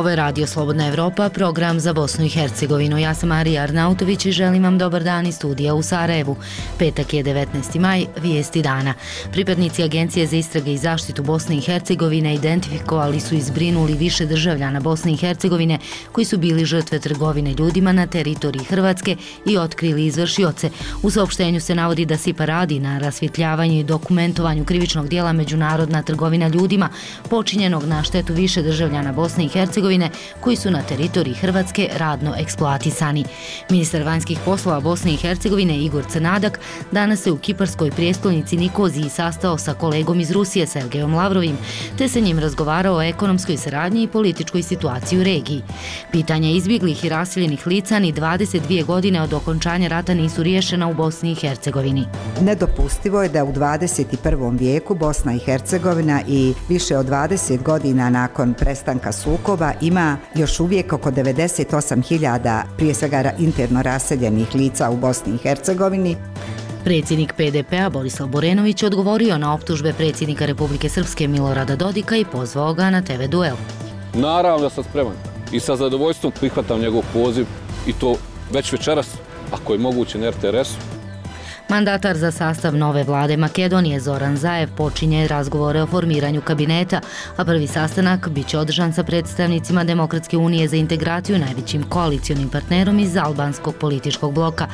Ovo je Radio Slobodna Evropa, program za Bosnu i Hercegovinu. Ja sam Marija Arnautović i želim vam dobar dan iz studija u Sarajevu. Petak je 19. maj, vijesti dana. Pripadnici Agencije za istrage i zaštitu Bosne i Hercegovine identifikovali su i zbrinuli više državljana Bosne i Hercegovine koji su bili žrtve trgovine ljudima na teritoriji Hrvatske i otkrili izvršioce. U saopštenju se navodi da SIPA radi na rasvjetljavanju i dokumentovanju krivičnog dijela međunarodna trgovina ljudima počinjenog na štetu više državljana Bosne i Hercegovine koji su na teritoriji Hrvatske radno eksploatisani. Ministar vanjskih poslova Bosne i Hercegovine Igor Crnadak danas se u kiparskoj prijestolnici Nikoziji sastao sa kolegom iz Rusije Sergejom Lavrovim, te sa njim razgovarao o ekonomskoj saradnji i političkoj situaciji u regiji. Pitanja izbjeglih i raseljenih lica ni 22 godine od okončanja rata nisu riješena u Bosni i Hercegovini. Nedopustivo je da u 21. vijeku Bosna i Hercegovina i više od 20 godina nakon prestanka sukoba ima još uvijek oko 98.000 prije svega interno raseljenih lica u Bosni i Hercegovini. Predsjednik PDP-a Borislav Borenović odgovorio na optužbe predsjednika Republike Srpske Milorada Dodika i pozvao ga na TV duel. Naravno da sam spreman i sa zadovoljstvom prihvatam njegov poziv i to već večeras, ako je moguće na RTS-u. Mandatar za sastav nove vlade Makedonije Zoran Zaev počinje razgovore o formiranju kabineta, a prvi sastanak biće održan sa predstavnicima Demokratske unije za integraciju, najvećim koalicionim partnerom iz albanskog političkog bloka.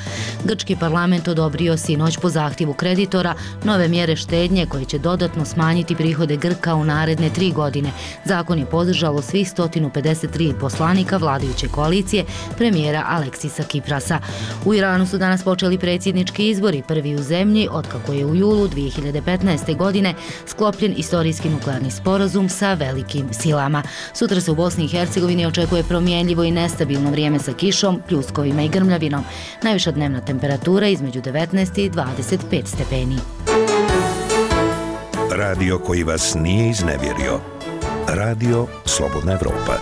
Grčki parlament odobrio sinoć po zahtjevu kreditora nove mjere štednje koje će dodatno smanjiti prihode Grka u naredne 3 godine. Zakon je podržalo svih 153 poslanika vladajuće koalicije premijera Aleksisa Kiprasa. U Iranu su danas počeli predsjednički izbori, prvi u zemlji otkako je u julu 2015. godine sklopljen istorijski nuklearni sporazum sa velikim silama. Sutra se u Bosni i Hercegovini očekuje promjenljivo i nestabilno vrijeme sa kišom, pljuskovima i grmljavinom. Najviša dnevna temperatura između 19 i 25 stepeni. Radio koji vas nije iznevjerio. Radio Slobodna Evropa.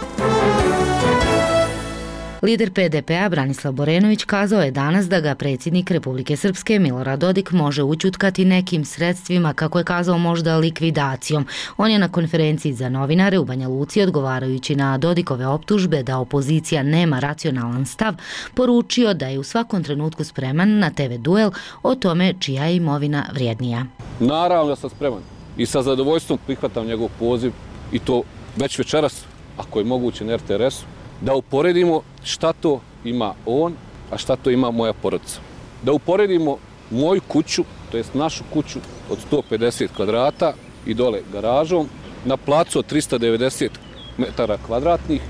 Lider PDP-a Branislav Borenović kazao je danas da ga predsjednik Republike Srpske Milorad Dodik može ućutkati nekim sredstvima, kako je kazao možda likvidacijom. On je na konferenciji za novinare u Banja Luci odgovarajući na Dodikove optužbe da opozicija nema racionalan stav, poručio da je u svakom trenutku spreman na TV duel o tome čija je imovina vrijednija. Naravno da sam spreman i sa zadovoljstvom prihvatam njegov poziv i to već večeras, ako je moguće na RTS-u, da uporedimo šta to ima on, a šta to ima moja porodica. Da uporedimo moju kuću, to jest našu kuću od 150 kvadrata i dole garažom, na placu od 390 metara kvadratnih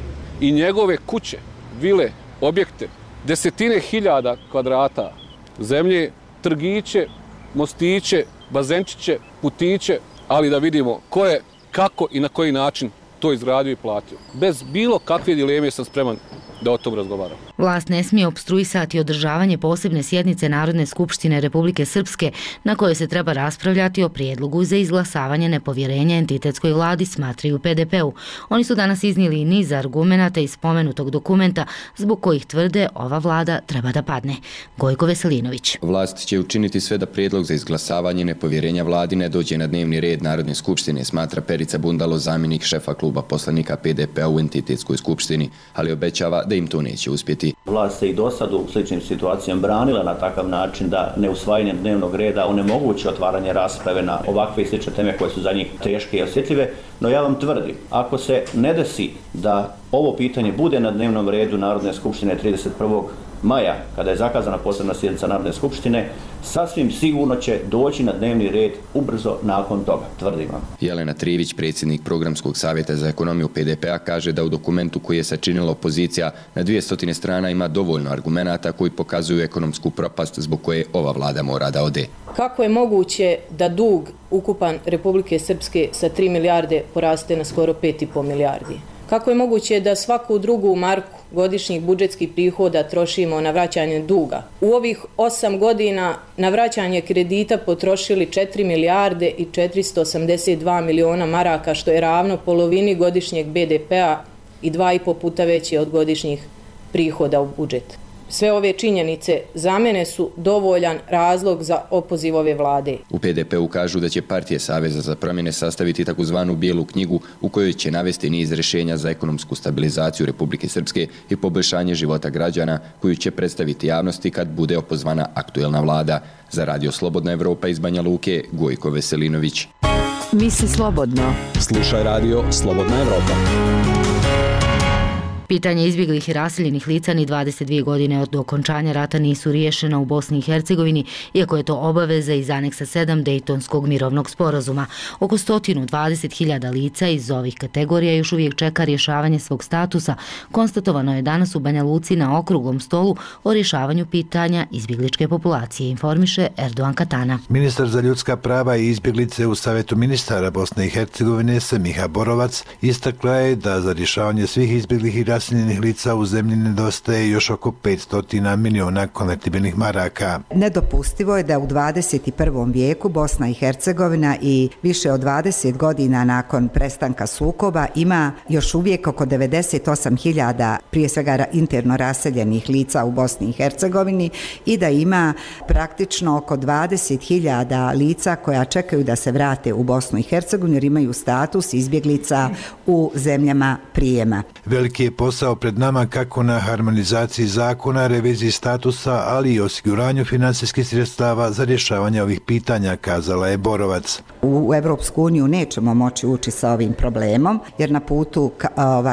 i njegove kuće, vile, objekte, desetine hiljada kvadrata zemlje, trgiće, mostiće, bazenčiće, putiće, ali da vidimo ko je, kako i na koji način to izgradio i platio. Bez bilo kakve dileme sam spreman da o tom razgovaram. Vlast ne smije opstruisati održavanje posebne sjednice Narodne skupštine Republike Srpske na kojoj se treba raspravljati o prijedlogu za izglasavanje nepovjerenja entitetskoj vladi, smatraju u PDP-u. Oni su danas iznijeli niz argumenata iz spomenutog dokumenta zbog kojih tvrde ova vlada treba da padne. Gojko Veselinović. Vlast će učiniti sve da prijedlog za izglasavanje nepovjerenja vladi ne dođe na dnevni red Narodne skupštine, smatra Perica Bundalo, zamjenik šefa kluba poslanika PDP-a u entitetskoj skupštini, ali obećava da im to neće uspjeti. Vlast se i do sad u sličnim situacijama branila na takav način da neusvajanjem dnevnog reda onemogući otvaranje rasprave na ovakve i slične teme koje su za njih teške i osjetljive, no ja vam tvrdim, ako se ne desi da ovo pitanje bude na dnevnom redu Narodne skupštine 31. maja, kada je zakazana posebna sjednica Narodne skupštine, sasvim sigurno će doći na dnevni red ubrzo nakon toga, tvrdim vam. Jelena Trivić, predsjednik Programskog savjeta za ekonomiju PDP-a, kaže da u dokumentu koji je sačinila opozicija na 200 strana ima dovoljno argumenata koji pokazuju ekonomsku propast zbog koje ova vlada mora da ode. Kako je moguće da dug ukupan Republike Srpske sa 3 milijarde poraste na skoro 5,5 milijardi? Kako je moguće da svaku drugu marku godišnjih budžetskih prihoda trošimo na vraćanje duga? U ovih 8 godina na vraćanje kredita potrošili 4 milijarde i 482 miliona maraka, što je ravno polovini godišnjeg BDP-a i 2,5 puta veće od godišnjih prihoda u budžet. Sve ove činjenice za mene su dovoljan razlog za opoziv ove vlade. U PDP-u kažu da će partije Saveza za promjene sastaviti takozvanu bijelu knjigu u kojoj će navesti niz rješenja za ekonomsku stabilizaciju Republike Srpske i poboljšanje života građana koju će predstaviti javnosti kad bude opozvana aktuelna vlada. Za Radio Slobodna Evropa iz Banja Luke, Gojko Veselinović. Misli slobodno. Slušaj Radio Slobodna Evropa. Pitanje izbjeglih i raseljenih lica ni 22 godine od okončanja rata nisu riješena u Bosni i Hercegovini, iako je to obaveza iz aneksa 7 Dejtonskog mirovnog sporazuma. Oko 120.000 lica iz ovih kategorija još uvijek čeka rješavanje svog statusa. Konstatovano je danas u Banja Luci na okruglom stolu o rješavanju pitanja izbjegličke populacije, informiše Erdogan Katana. Ministar za ljudska prava i izbjeglice u Savjetu ministara Bosne i Hercegovine Semiha Borovac istakla je da za rješavanje svih izbjeglih i raseljenih lica u zemlji nedostaje još oko 500 miliona konvertibilnih maraka. Nedopustivo je da u 21. vijeku Bosna i Hercegovina i više od 20 godina nakon prestanka sukoba ima još uvijek oko 98.000 prije svega interno raseljenih lica u Bosni i Hercegovini i da ima praktično oko 20.000 lica koja čekaju da se vrate u Bosnu i Hercegovinu jer imaju status izbjeglica u zemljama prijema. Veliki je posao pred nama kako na harmonizaciji zakona, reviziji statusa, ali i osiguranju financijskih sredstava za rješavanje ovih pitanja, kazala je Borovac. U Evropsku uniju nećemo moći ući sa ovim problemom, jer na putu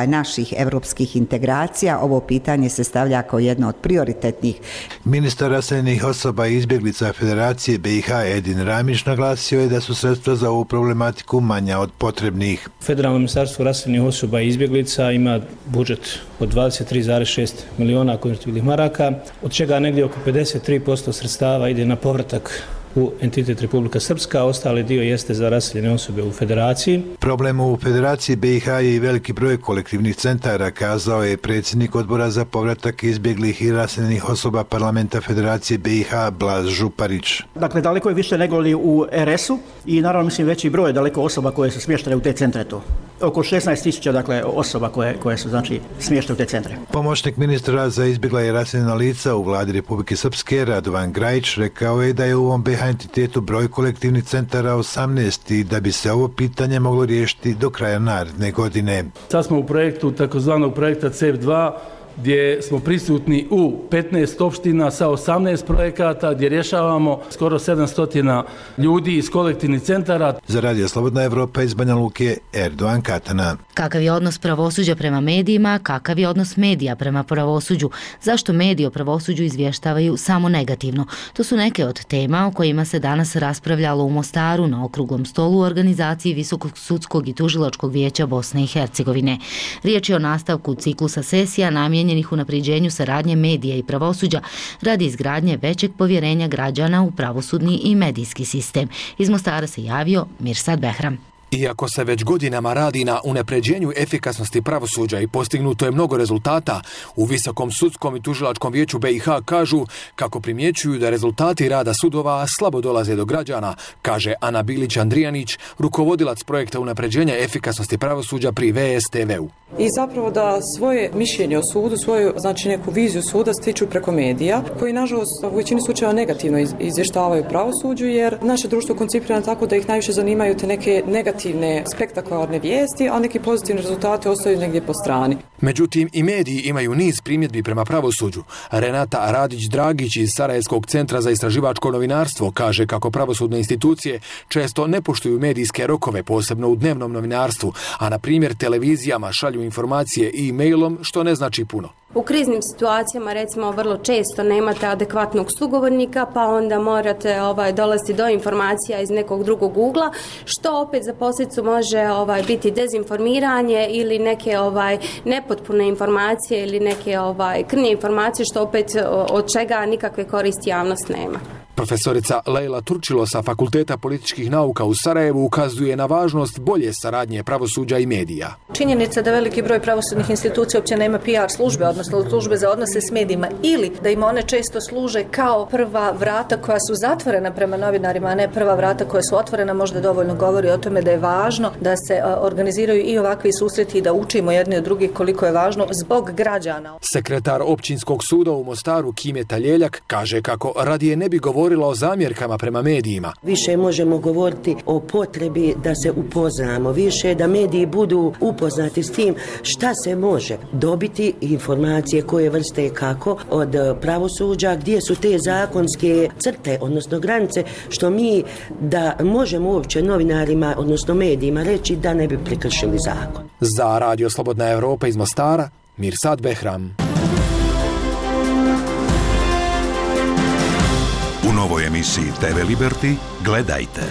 naših evropskih integracija ovo pitanje se stavlja kao jedno od prioritetnih. Ministar raseljenih osoba i izbjeglica Federacije BiH Edin Ramić naglasio je da su sredstva za ovu problematiku manja od potrebnih. Federalno ministarstvo raseljenih osoba i izbjeglica ima budžet od 23,6 miliona konvertibilnih maraka, od čega negdje oko 53% sredstava ide na povratak u entitet Republika Srpska, ostali dio jeste za raseljene osobe u Federaciji. Problem u Federaciji BiH je i veliki broj kolektivnih centara, kazao je predsjednik odbora za povratak izbjeglih i raseljenih osoba parlamenta Federacije BiH Blaž Župarić. Dakle, daleko je više nego li u RS-u i naravno mislim veći broj daleko osoba koje su smještene u te centre to. Oko 16.000 dakle osoba koje su znači smještene u te centre. Pomoćnik ministra za izbjegla i raseljena lica u vladi Republike Srpske Radovan Grajić rekao je da je u ovom BiH entitetu broj kolektivnih centara 18 i da bi se ovo pitanje moglo riješiti do kraja naredne godine. Sad smo u projektu takozvanog projekta CEF2 gdje smo prisutni u 15 opština sa 18 projekata gdje rješavamo skoro 700 ljudi iz kolektivnih centara. Za Radio Slobodna Evropa iz Banja Luke, Erdogan Katana. Kakav je odnos pravosuđa prema medijima, kakav je odnos medija prema pravosuđu? Zašto mediji o pravosuđu izvještavaju samo negativno? To su neke od tema o kojima se danas raspravljalo u Mostaru na okruglom stolu u organizaciji Visokog sudskog i tužilačkog vijeća Bosne i Hercegovine. Riječ je o nastavku ciklusa sesija namijenjenih unapređenju saradnje medija i pravosuđa radi izgradnje većeg povjerenja građana u pravosudni i medijski sistem. Iz Mostara se javio Mirsad Behram. Iako se već godinama radi na unapređenju efikasnosti pravosuđa i postignuto je mnogo rezultata, u Visokom sudskom i tužilačkom vijeću BiH kažu kako primjećuju da rezultati rada sudova slabo dolaze do građana, kaže Ana Bilić-Andrijanić, rukovodilac projekta unapređenja efikasnosti pravosuđa pri VSTV-u. I zapravo da svoje mišljenje o sudu, svoju znači neku viziju suda stiču preko medija, koji nažalost u većini slučajeva negativno izvještavaju pravosuđu, jer naše društvo koncipirano tako da ih najviše zanimaju te neke negativne, spektakularne vijesti, a neki pozitivni rezultati ostaju negdje po strani. Međutim, i mediji imaju niz primjedbi prema pravosuđu. Renata Radić-Dragić iz Sarajevskog centra za istraživačko novinarstvo kaže kako pravosudne institucije često ne poštuju medijske rokove, posebno u dnevnom novinarstvu, a na primjer televizijama šalju informacije i e-mailom, što ne znači puno. U kriznim situacijama recimo vrlo često nemate adekvatnog sugovornika, pa onda morate dolaziti do informacija iz nekog drugog ugla, što opet za posljedicu može biti dezinformiranje ili neke nepotpune informacije ili neke krnje informacije, što opet od čega nikakve koristi javnost nema. Profesorica Lejla Turčilo sa Fakulteta političkih nauka u Sarajevu ukazuje na važnost bolje saradnje pravosuđa i medija. Činjenica da veliki broj pravosudnih institucija uopće nema PR službe, odnosno službe za odnose s medijima, ili da im one često služe kao prva vrata koja su zatvorena prema novinarima, a ne prva vrata koja su otvorena, možda dovoljno govori o tome da je važno da se organiziraju i ovakvi susreti i da učimo jedni od drugih koliko je važno zbog građana. Sekretar Općinskog suda u Mostaru Kime Taljeljak kaže kako radije ne bi govorila o zamjerkama prema medijima. Više možemo govoriti o potrebi da se upoznamo, više da mediji budu upoznati s tim šta se može dobiti, informacije koje vrste i kako od pravosuđa, gdje su te zakonske crte, odnosno granice, što mi da možemo uopće novinarima, odnosno medijima reći da ne bi prekršili zakon. Za Radio Slobodna Evropa iz Mostara, Mirsad Behram. U novoj emisiji TV Liberty gledajte.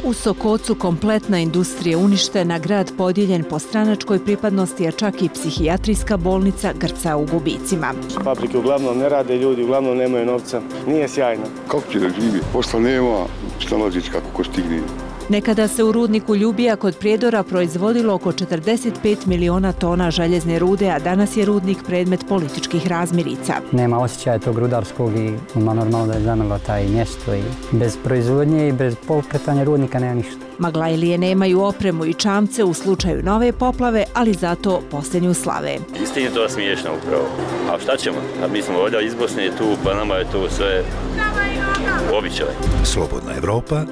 U Sokocu kompletna industrija uništena, grad podijeljen po stranačkoj pripadnosti, a čak i psihijatrijska bolnica grca u gubicima. Fabrike uglavnom ne rade, ljudi uglavnom nemaju novca. Nije sjajno. Kako će da živi? Posla nema, šta nađeć kako ko stigne. Nekada se u rudniku Ljubija kod Prijedora proizvodilo oko 45 miliona tona željezne rude, a danas je rudnik predmet političkih razmirica. Nema osjećaja tog rudarskog i normalno da je zamrlo taj mjesto i bez proizvodnje i bez pokretanja rudnika nema ništa. Maglajlije nemaju opremu i čamce u slučaju nove poplave, ali zato posljednju slave. Istini to smiješno upravo. A šta ćemo? A mi smo ovdje iz Bosne tu, pa nama je to sve običaj. Slobodna Evropa.org.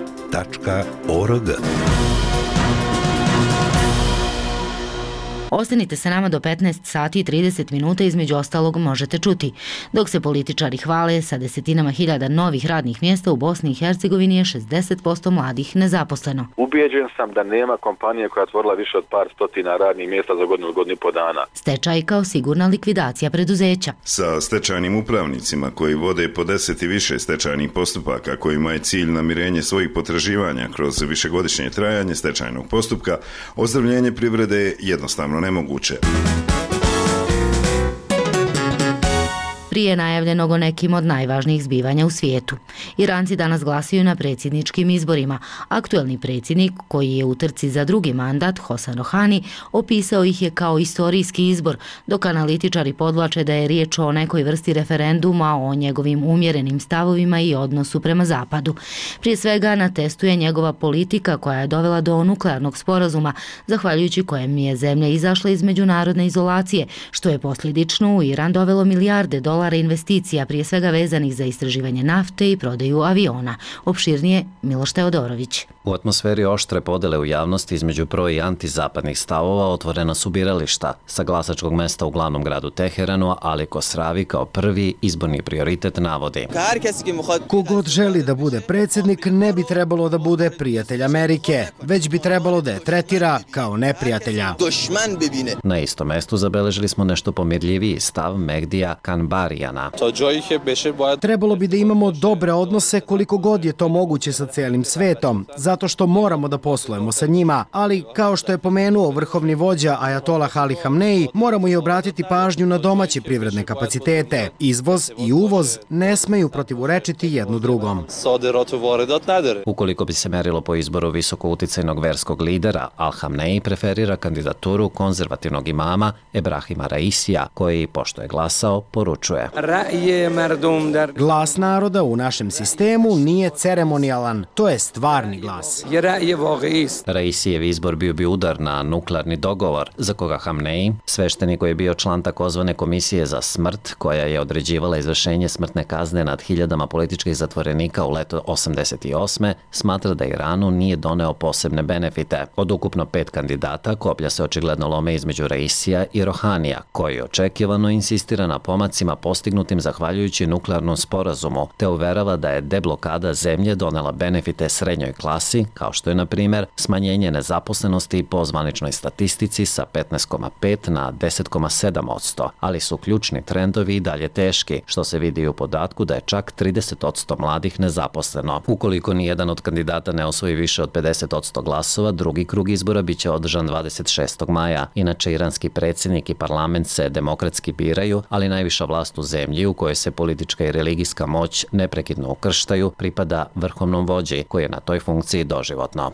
Ostanite sa nama do 15 sati i 30 minuta, između ostalog možete čuti. Dok se političari hvale sa desetinama hiljada novih radnih mjesta, u Bosni i Hercegovini je 60% mladih nezaposleno. Ubijeđen sam da nema kompanije koja je otvorila više od par stotina radnih mjesta za godinu i po dana. Stečaj kao sigurna likvidacija preduzeća. Sa stečajnim upravnicima koji vode po 10 i više stečajnih postupaka kojima je cilj namirenje svojih potraživanja kroz višegodišnje trajanje stečajnog postupka, ozdravljenje privrede je jednostavno nemoguće. Prije najavljenog o nekim od najvažnijih zbivanja u svijetu. Iranci danas glasuju na predsjedničkim izborima. Aktuelni predsjednik, koji je u trci za drugi mandat, Hasan Rohani, opisao ih je kao istorijski izbor, dok analitičari podvlače da je riječ o nekoj vrsti referenduma o njegovim umjerenim stavovima i odnosu prema zapadu. Prije svega na testu je njegova politika koja je dovela do nuklearnog sporazuma, zahvaljujući kojem je zemlja izašla iz međunarodne izolacije, što je posljedično u Iran dovelo milijarde dolara investicija, prije svega vezanih za istraživanje nafte i prodaju aviona. Opširnije Miloš Teodorović. U atmosferi oštre podele u javnosti između pro i antizapadnih stavova otvorena su birališta sa glasačkog mesta u glavnom gradu Teheranu, Ali Kosravi kao prvi izborni prioritet navodi. Kogod želi da bude predsjednik ne bi trebalo da bude prijatelj Amerike, već bi trebalo da je tretira kao neprijatelja. Na istom mestu zabeležili smo nešto pomirljiviji stav Mehdija Kanbarijana. Trebalo bi da imamo dobre odnose koliko god je to moguće sa cijelim svetom, zato što moramo da poslujemo sa njima, ali kao što je pomenuo vrhovni vođa Ajatolah Ali Hamneji, moramo i obratiti pažnju na domaće privredne kapacitete. Izvoz i uvoz ne smeju protivurečiti jednu drugom. Ukoliko bi se merilo po izboru visoko uticajnog verskog lidera, Al Hamneji preferira kandidaturu konzervativnog imama Ebrahima Raisija, koji, pošto je glasao, poručuje. Glas naroda u našem sistemu nije ceremonijalan, to je stvarni glas. Raisijev izbor bio bi udar na nuklearni dogovor, za koga Hamneji, sveštenik koji je bio član takozvane komisije za smrt, koja je određivala izvršenje smrtne kazne nad hiljadama političkih zatvorenika u leto 88. smatra da Iranu nije doneo posebne benefite. Od ukupno 5 kandidata, koplja se očigledno lome između Raisija i Rohanija, koji očekivano insistira na pomacima postignutim zahvaljujući nuklearnom sporazumu, te uverava da je deblokada zemlje donela benefite srednjoj klasi, kao što je, na primjer, smanjenje nezaposlenosti po zvaničnoj statistici sa 15,5 na 10,7%, ali su ključni trendovi i dalje teški, što se vidi u podatku da je čak 30% mladih nezaposleno. Ukoliko nijedan od kandidata ne osvoji više od 50% glasova, drugi krug izbora biće održan 26. maja. Inače, iranski predsjednik i parlament se demokratski biraju, ali najviša vlast u zemlji u kojoj se politička i religijska moć neprekidno ukrštaju pripada vrhovnom vođi koji je na toj funkciji doživotno.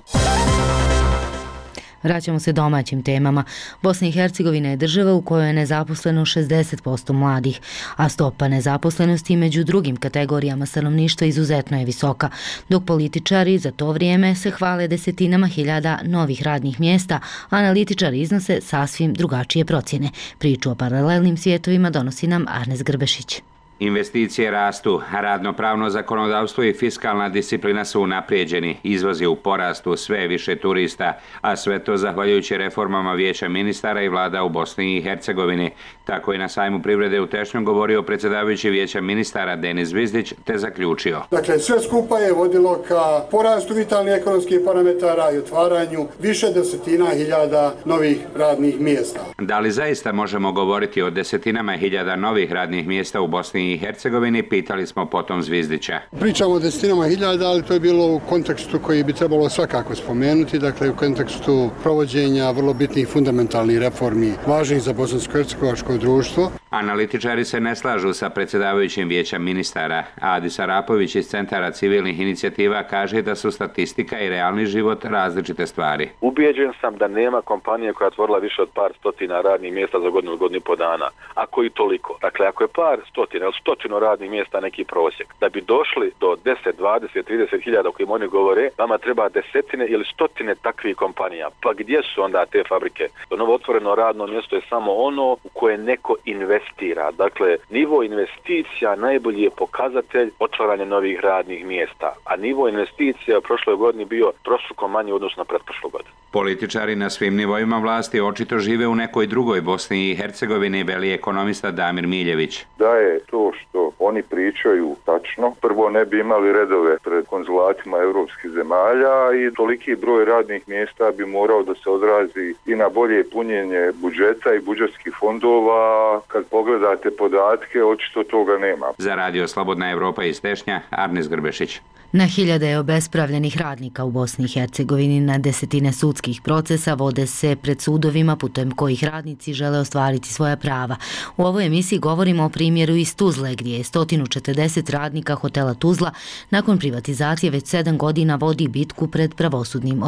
Vraćamo se domaćim temama. Bosna i Hercegovina je država u kojoj je nezaposleno 60% mladih, a stopa nezaposlenosti među drugim kategorijama stanovništva izuzetno je visoka, dok političari za to vrijeme se hvale desetinama hiljada novih radnih mjesta, analitičari iznose sasvim drugačije procjene. Priču o paralelnim svijetovima donosi nam Arnes Grbešić. Investicije rastu, radnopravno zakonodavstvo i fiskalna disciplina su unaprijeđeni, izvoz je u porastu, sve više turista, a sve to zahvaljujući reformama Vijeća ministara i vlada u Bosni i Hercegovini. Tako je na sajmu privrede u Tešnju govorio predsjedavajući Vijeća ministara Denis Zvizdić te zaključio. Dakle, sve skupa je vodilo ka porastu vitalnih ekonomskih parametara i otvaranju više desetina hiljada novih radnih mjesta. Da li zaista možemo govoriti o desetinama hiljada novih radnih mjesta u Bosni i Hercegovini, pitali smo potom Zvizdića. Pričamo o desetinama hiljada, ali to je bilo u kontekstu koji bi trebalo svakako spomenuti, dakle u kontekstu provođenja vrlo bitnih fundamentalnih reformi važnih za bosansko-hercegovačko društvo. Analitičari se ne slažu sa predsjedavajućim Vijeća ministara. Adis Arapović iz Centara civilnih inicijativa kaže da su statistika i realni život različite stvari. Ubijeđen sam da nema kompanije koja je otvorila više od par stotina radnih mjesta za godinu i po dana. Ako i toliko. Dakle, ako je par stotina ili stotinu radnih mjesta neki prosjek, da bi došli do 10, 20, 30 hiljada o kojim oni govore, vama treba desetine ili stotine takvih kompanija. Pa gdje su onda te fabrike? To novo otvoreno radno mjesto je samo ono u koje neko investira. Dakle, nivo investicija najbolji je pokazatelj otvaranja novih radnih mjesta, a nivo investicija u prošloj godini bio trostruko manji u odnosu na pretprošlu godinu. Političari na svim nivoima vlasti očito žive u nekoj drugoj Bosni i Hercegovini, veli ekonomista Damir Miljević. Da je to što oni pričaju tačno, prvo ne bi imali redove pred konzulatima europskih zemalja i toliki broj radnih mjesta bi morao da se odrazi i na bolje punjenje budžeta i budžetskih fondova. Kad pogledate podatke, očito toga nema. Za Radio Slobodna Evropa iz Tešnja, Arnes Grbešić. Na hiljade je obespravljenih radnika u Bosni i Hercegovini, na desetine sudskih procesa vode se pred sudovima putem kojih radnici žele ostvariti svoja prava. U ovoj emisiji govorimo o primjeru iz Tuzle, gdje je 140 radnika hotela Tuzla nakon privatizacije već 7 godina vodi bitku pred pravosudnim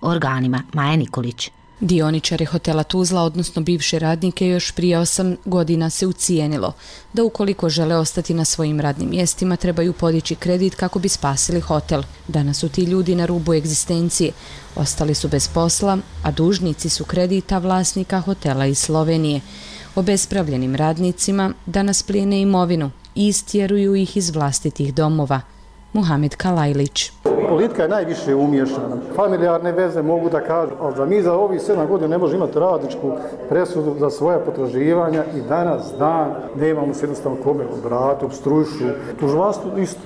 organima. Maja Nikolić. Dioničari hotela Tuzla, odnosno bivše radnike, još prije 8 godina se ucijenilo da ukoliko žele ostati na svojim radnim mjestima trebaju podići kredit kako bi spasili hotel. Danas su ti ljudi na rubu egzistencije. Ostali su bez posla, a dužnici su kredita vlasnika hotela iz Slovenije. Obespravljenim radnicima danas plijene imovinu i istjeruju ih iz vlastitih domova. Muhamed Kalajlić. Politika je najviše umiješana. Familijarne veze mogu da kažu, ali da mi za ovih 7 godina ne možemo imati radničku presudu za svoja potraživanja i danas dan nemamo se jednostavno kome obrati, obstrujušu. Tužilaštvo isto.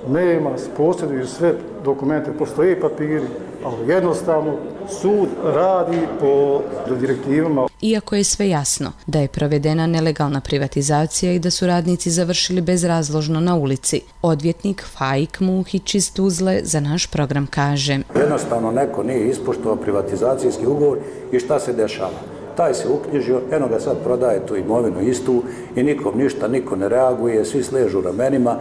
Nema, posjeduju sve dokumente, postoje papiri, ali jednostavno sud radi po direktivama. Iako je sve jasno da je provedena nelegalna privatizacija i da su radnici završili bezrazložno na ulici, odvjetnik Faik Muhić iz Tuzle za naš program kaže: Jednostavno neko nije ispoštovao privatizacijski ugovor i šta se dešava? Taj se uknjižio, eno ga sad prodaje tu imovinu istu i nikom ništa, niko ne reaguje, svi sležu ramenima,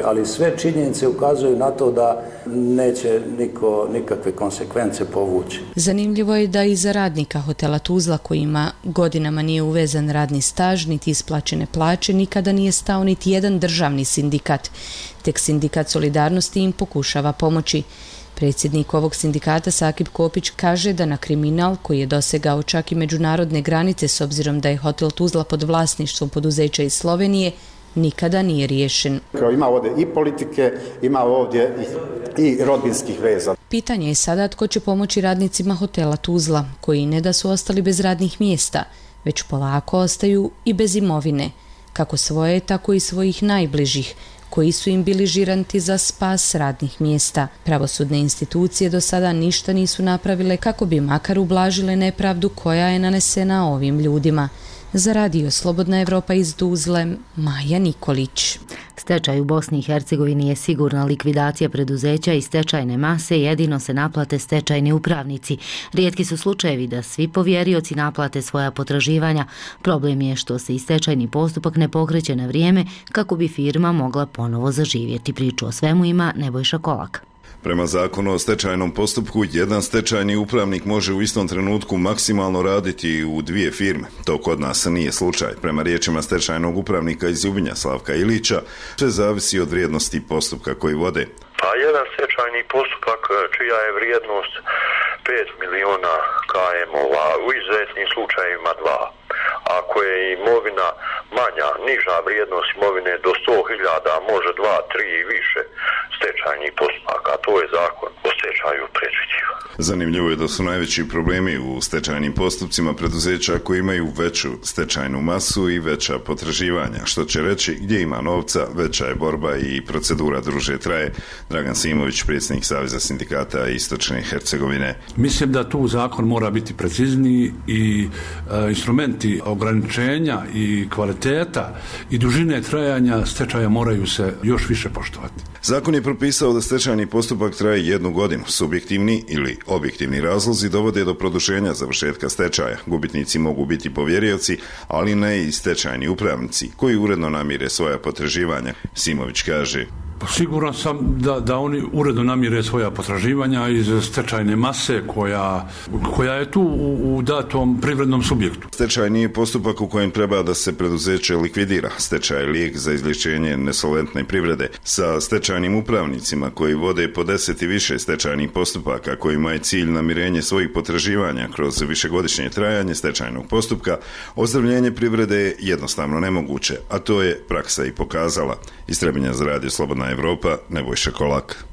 ali sve činjenice ukazuju na to da neće niko nikakve konsekvence povući. Zanimljivo je da i za radnika hotela Tuzla, kojima godinama nije uvezan radni staž, niti isplaćene plaće, nikada nije stao niti jedan državni sindikat. Tek sindikat Solidarnosti im pokušava pomoći. Predsjednik ovog sindikata Sakip Kopić kaže da na kriminal, koji je dosegao čak i međunarodne granice s obzirom da je hotel Tuzla pod vlasništvom poduzeća iz Slovenije, nikada nije riješen. Ima ovdje i politike, ima ovdje i rodbinskih veza. Pitanje je sada tko će pomoći radnicima hotela Tuzla, koji ne da su ostali bez radnih mjesta, već polako ostaju i bez imovine, kako svoje, tako i svojih najbližih, koji su im bili žiranti za spas radnih mjesta. Pravosudne institucije do sada ništa nisu napravile kako bi makar ublažile nepravdu koja je nanesena ovim ljudima. Za radio Slobodna Evropa iz Tuzle, Maja Nikolić. Stečaj u Bosni i Hercegovini je sigurna likvidacija preduzeća i stečajne mase, jedino se naplate stečajni upravnici. Rijetki su slučajevi da svi povjerioci naplate svoja potraživanja. Problem je što se i stečajni postupak ne pokreće na vrijeme kako bi firma mogla ponovo zaživjeti. Priču o svemu ima Nebojša Kolak. Prema zakonu o stečajnom postupku, jedan stečajni upravnik može u istom trenutku maksimalno raditi u 2 firme. To kod nas nije slučaj. Prema riječima stečajnog upravnika iz Ljubinja Slavka Ilića, sve zavisi od vrijednosti postupka koji vode. Pa jedan stečajni postupak čija je vrijednost 5 miliona KM-ova, u izuzetnim slučajevima 2. Ako je imovina manja, niža vrijednost imovine do 100.000, može 2, 3 i više stečajnih postupaka. To je zakon o stečaju predviđiva. Zanimljivo je da su najveći problemi u stečajnim postupcima preduzeća koji imaju veću stečajnu masu i veća potraživanja, što će reći gdje ima novca, veća je borba i procedura duže traje. Dragan Simović, predsjednik Saveza sindikata Istočne Hercegovine. Mislim da tu zakon mora biti precizniji i instrumenti ograničenja i kvaliteta i dužine trajanja stečaja moraju se još više poštovati. Zakon je propisao da stečajni postupak traje 1 godinu. Subjektivni ili objektivni razlozi dovode do produženja završetka stečaja. Gubitnici mogu biti povjerioci, ali ne i stečajni upravnici koji uredno namire svoja potraživanja. Simović kaže: Siguran sam da oni uredno namire svoja potraživanja iz stečajne mase koja je tu u datom privrednom subjektu. Stečaj nije postupak u kojem treba da se preduzeće likvidira. Stečaj je lijek za izlječenje nesolventne privrede. Sa stečajnim upravnicima koji vode po 10 i više stečajnih postupaka kojima je cilj namirenje svojih potraživanja kroz višegodišnje trajanje stečajnog postupka, ozdravljenje privrede je jednostavno nemoguće, a to je praksa i pokazala. Iz Trebinja za radio Slobodna Evropa, Nebojša Kolak.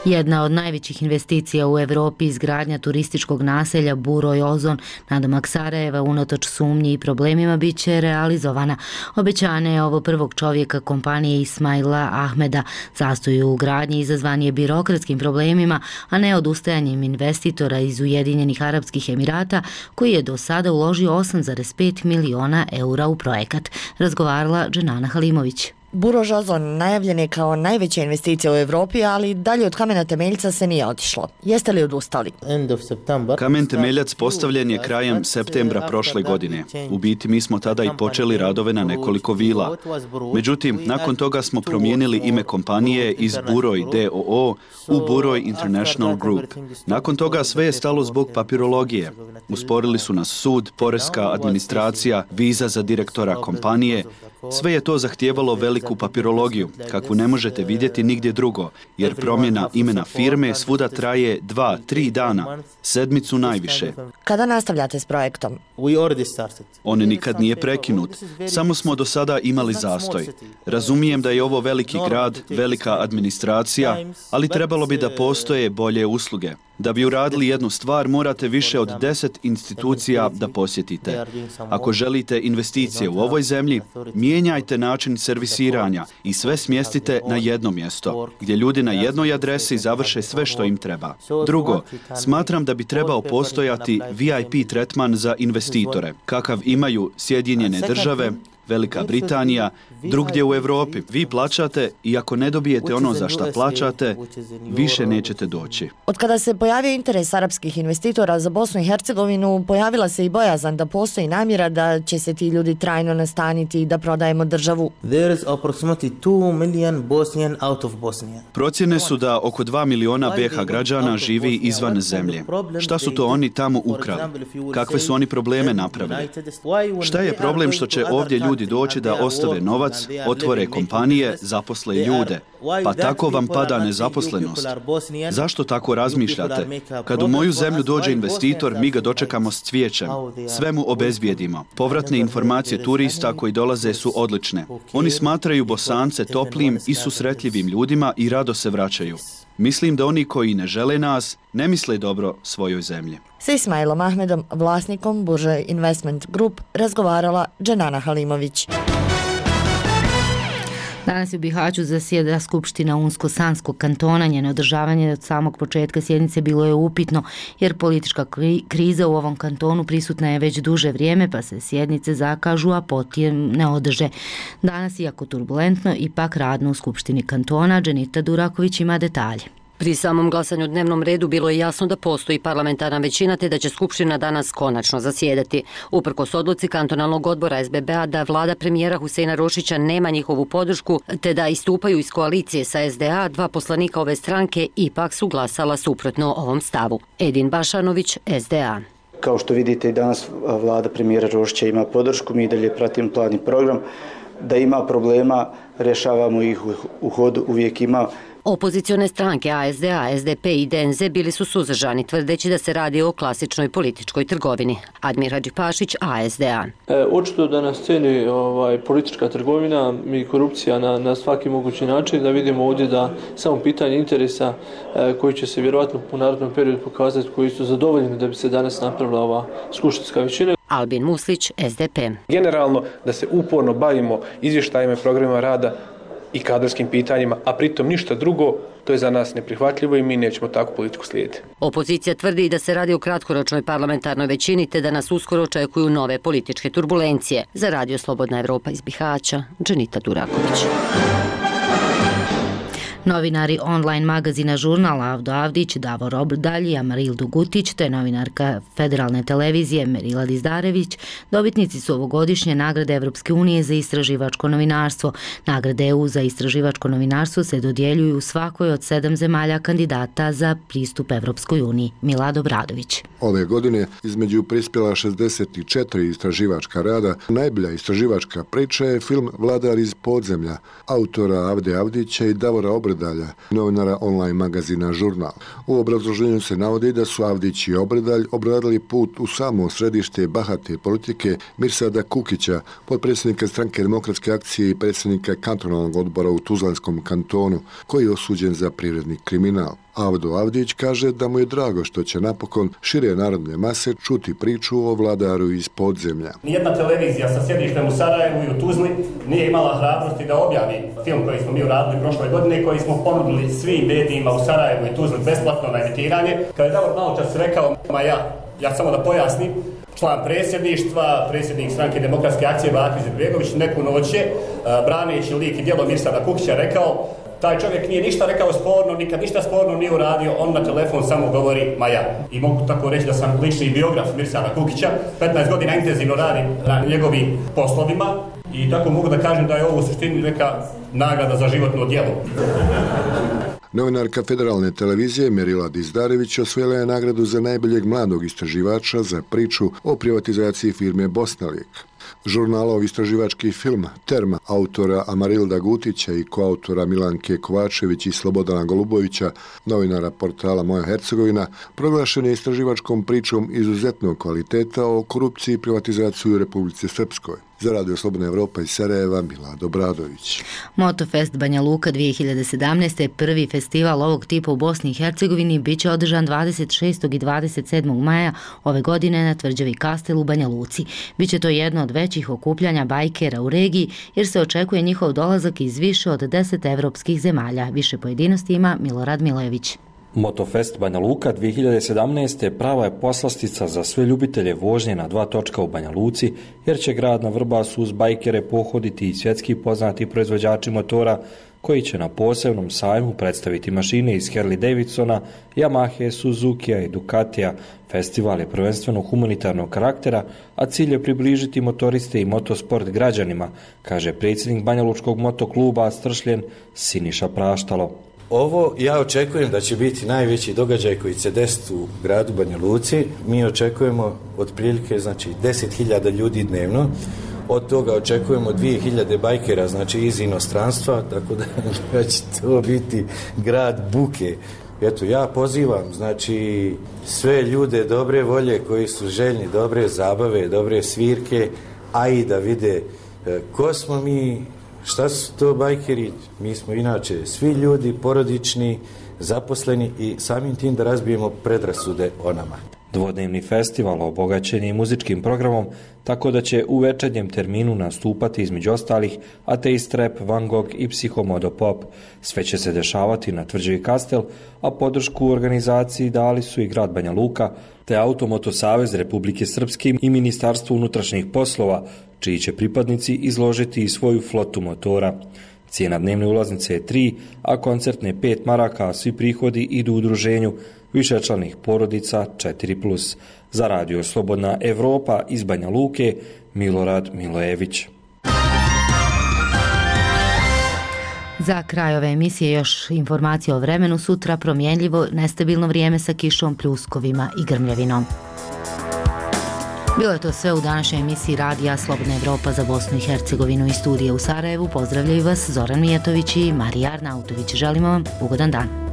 Jedna od najvećih investicija u Europi, izgradnja turističkog naselja Buroj Ozon nadomak Sarajeva, unatoč sumnji i problemima, bit će realizovana. Obećanje je ovo prvog čovjeka kompanije Ismaila Ahmeda. Zastoj u gradnji izazvan je birokratskim problemima, a ne odustajanjem investitora iz Ujedinjenih Arapskih Emirata, koji je do sada uložio 8,5 miliona eura u projekat. Razgovarala Dženana Halimović. Buroj Ozon najavljen je kao najveća investicija u Europi, ali dalje od kamena temeljca se nije otišlo. Jeste li odustali? Kamen temeljac postavljen je krajem septembra prošle godine. U biti mi smo tada i počeli radove na nekoliko vila. Međutim, nakon toga smo promijenili ime kompanije iz Buroj DOO u Buroj International Group. Nakon toga sve je stalo zbog papirologije. Usporili su nas sud, poreska administracija, viza za direktora kompanije. Sve je to zahtijevalo veliku papirologiju, kakvu ne možete vidjeti nigdje drugo, jer promjena imena firme svuda traje 2-3 dana, sedmicu najviše. Kada nastavljate s projektom? On nikad nije prekinut, samo smo do sada imali zastoj. Razumijem da je ovo veliki grad, velika administracija, ali trebalo bi da postoje bolje usluge. Da bi uradili jednu stvar, morate više od 10 institucija da posjetite. Ako želite investicije u ovoj zemlji, mijenjajte način servisiranja i sve smjestite na jedno mjesto, gdje ljudi na jednoj adresi završe sve što im treba. Drugo, smatram da bi trebao postojati VIP tretman za investitore, kakav imaju Sjedinjene Države, Velika Britanija, drugdje u Europi. Vi plaćate i ako ne dobijete ono za šta plaćate, više nećete doći. Od kada se pojavio interes arapskih investitora za Bosnu i Hercegovinu, pojavila se i bojazan da postoji namjera da će se ti ljudi trajno nastaniti i da prodajemo državu. Procjene su da oko 2 miliona BiH građana živi izvan zemlje. Šta su to oni tamo ukrali? Kakve su oni probleme napravili? Šta je problem što će ovdje ljudi doći da ostave novac, otvore kompanije, zaposle ljude? Pa tako vam pada nezaposlenost. Zašto tako razmišljate? Kad u moju zemlju dođe investitor, mi ga dočekamo s cvijećem. Sve mu obezbijedimo. Povratne informacije turista koji dolaze su odlične. Oni smatraju Bosance toplim i susretljivim ljudima i rado se vraćaju. Mislim da oni koji ne žele nas, ne misle dobro svojoj zemlji. S Ismailom Ahmedom, vlasnikom Buroj Investment Group, razgovarala Dženana Halimović. Danas je u Bihaću zasjeda Skupština Unsko-Sanskog kantona. Njeno održavanje od samog početka sjednice bilo je upitno, jer politička kriza u ovom kantonu prisutna je već duže vrijeme, pa se sjednice zakažu, a potem ne održe. Danas, iako turbulentno, ipak radno u Skupštini kantona. Dženita Duraković ima detalje. Pri samom glasanju o dnevnom redu bilo je jasno da postoji parlamentarna većina te da će Skupština danas konačno zasjedati. Uprkos odluci kantonalnog odbora SBB-a da vlada premijera Huseina Rošića nema njihovu podršku te da istupaju iz koalicije sa SDA, dva poslanika ove stranke ipak su glasala suprotno ovom stavu. Edin Bašanović, SDA. Kao što vidite, i danas vlada premijera Rošića ima podršku, mi dalje pratimo plan i program. Da ima problema, rješavamo ih u hodu, uvijek ima. Opozicione stranke ASDA, SDP i DNZ bili su suzdržani, tvrdeći da se radi o klasičnoj političkoj trgovini. Admir Hadžipašić, ASDA. Očito da na sceni politička trgovina i korupcija na svaki mogući način, da vidimo ovdje da samo pitanje interesa koji će se vjerojatno u narednom periodu pokazati, koji su zadovoljeni da bi se danas napravila ova skupštinska većina. Albin Muslić, SDP. Generalno da se uporno bavimo izvještajima i programima rada i kadrovskim pitanjima, a pritom ništa drugo, to je za nas neprihvatljivo i mi nećemo takvu politiku slijediti. Opozicija tvrdi da se radi o kratkoročnoj parlamentarnoj većini te da nas uskoro očekuju nove političke turbulencije. Za Radio Slobodna Evropa iz Bihaća, Dženita Duraković. Novinari online magazina Žurnal Avdo Avdić, Davor Obrdalj i Amaril Dugutić te novinarka Federalne televizije Merila Dizdarević dobitnici su ovogodišnje nagrade Evropske unije za istraživačko novinarstvo. Nagrade EU za istraživačko novinarstvo se dodjeljuju u svakoj od 7 zemalja kandidata za pristup Evropskoj uniji. Milad Obradović. Ove godine između prispjela 64 istraživačka rada. Najbolja istraživačka priča je film Vladar iz podzemlja, autora Avde Avdića i Davora Obrdalja, novinara online magazina Žurnal. U obrazloženju se navodi da su Avdić i Obrdalj obradili put u samo središte bahate politike Mirsada Kukića, potpredsjednika Stranke demokratske akcije i predsjednika kantonalnog odbora u Tuzlanskom kantonu, koji je osuđen za privredni kriminal. Avdo Avdić kaže da mu je drago što će napokon šire narodne mase čuti priču o vladaru iz podzemlja. Nijedna televizija sa sjedištem u Sarajevu i u Tuzli nije imala hrabrosti da objavi film koji smo mi uradili prošle godine, koji smo ponudili svim medijima u Sarajevu i Tuzli besplatno na emitiranje. Kada je Davor maločas rekao, ja samo da pojasnim, član predsjedništva, predsjednik Stranke demokratske akcije Bakir Izetbegović neku noć je, braneći lik i djelo Mirsada Kukića, rekao: taj čovjek nije ništa rekao sporno, nikad ništa sporno nije uradio, on na telefon samo govori ja. I mogu tako reći da sam lični biograf Mirsada Kukića, 15 godina intenzivno radim na njegovim poslovima i tako mogu da kažem da je ovo u suštini neka nagrada za životno djelo. Novinarka Federalne televizije Merila Dizdarević osvojila je nagradu za najboljeg mladog istraživača za priču o privatizaciji firme Bosnalijek. Žurnalov istraživački film Terma autora Amarilda Gutića i koautora Milanke Kovačević i Slobodana Golubovića, novinara portala Moja Hercegovina, proglašen je istraživačkom pričom izuzetnog kvaliteta o korupciji i privatizaciji u Republici Srpskoj. Za Radio Slobodna Evropa iz Sarajeva, Milad Obradović. Motofest Banja Luka 2017. je prvi festival ovog tipa u Bosni i Hercegovini, bit će održan 26. i 27. maja ove godine na tvrđavi Kastel u Banja Luci. Biće to jedno od većih okupljanja bajkera u regiji, jer se očekuje njihov dolazak iz više od 10 evropskih zemalja. Više pojedinosti ima Milorad Milević. Motofest Banja Luka 2017. prava je poslastica za sve ljubitelje vožnje na 2 točka u Banja Luci, jer će grad na Vrbasu uz bajkere pohoditi i svjetski poznati proizvođači motora koji će na posebnom sajmu predstaviti mašine iz Harley Davidsona, Yamahe, Suzukija i Ducatija. Festival je prvenstveno humanitarnog karaktera, a cilj je približiti motoriste i motosport građanima, kaže predsjednik Banjalučkog motokluba Stršljen Siniša Praštalo. Ovo ja očekujem da će biti najveći događaj koji će desiti u gradu Banja Luci. Mi očekujemo otprilike 10.000 ljudi dnevno. Od toga očekujemo 2.000 bajkera, iz inostranstva, tako da će to biti grad buke. Eto, ja pozivam, sve ljude dobre volje koji su željni dobre zabave, dobre svirke, a i da vide ko smo mi, šta su to bajkeri. Mi smo inače svi ljudi porodični, zaposleni i samim tim da razbijemo predrasude o nama. Dvodnevni festival obogaćen je muzičkim programom, tako da će u večernjem terminu nastupati između ostalih Ateist Rap, Van Gogh i Psihomodo Pop. Sve će se dešavati na Tvrđavi Kastel, a podršku u organizaciji dali su i grad Banja Luka, te Automoto Savez Republike Srpske i Ministarstvo unutrašnjih poslova, čiji će pripadnici izložiti i svoju flotu motora. Cijena dnevne ulaznice je 3, a koncertne 5 maraka, a svi prihodi idu u udruženju višečlanih porodica 4+. Za Radio Slobodna Evropa iz Banja Luke, Milorad Milojević. Za kraj ove emisije još informacije o vremenu. Sutra promjenljivo, nestabilno vrijeme sa kišom, pljuskovima i grmljavinom. Bilo je to sve u današnjoj emisiji Radija Slobodna Evropa za Bosnu i Hercegovinu i studije u Sarajevu. Pozdravljaju vas Zoran Mijatović i Marija Arnautović. Želimo vam ugodan dan.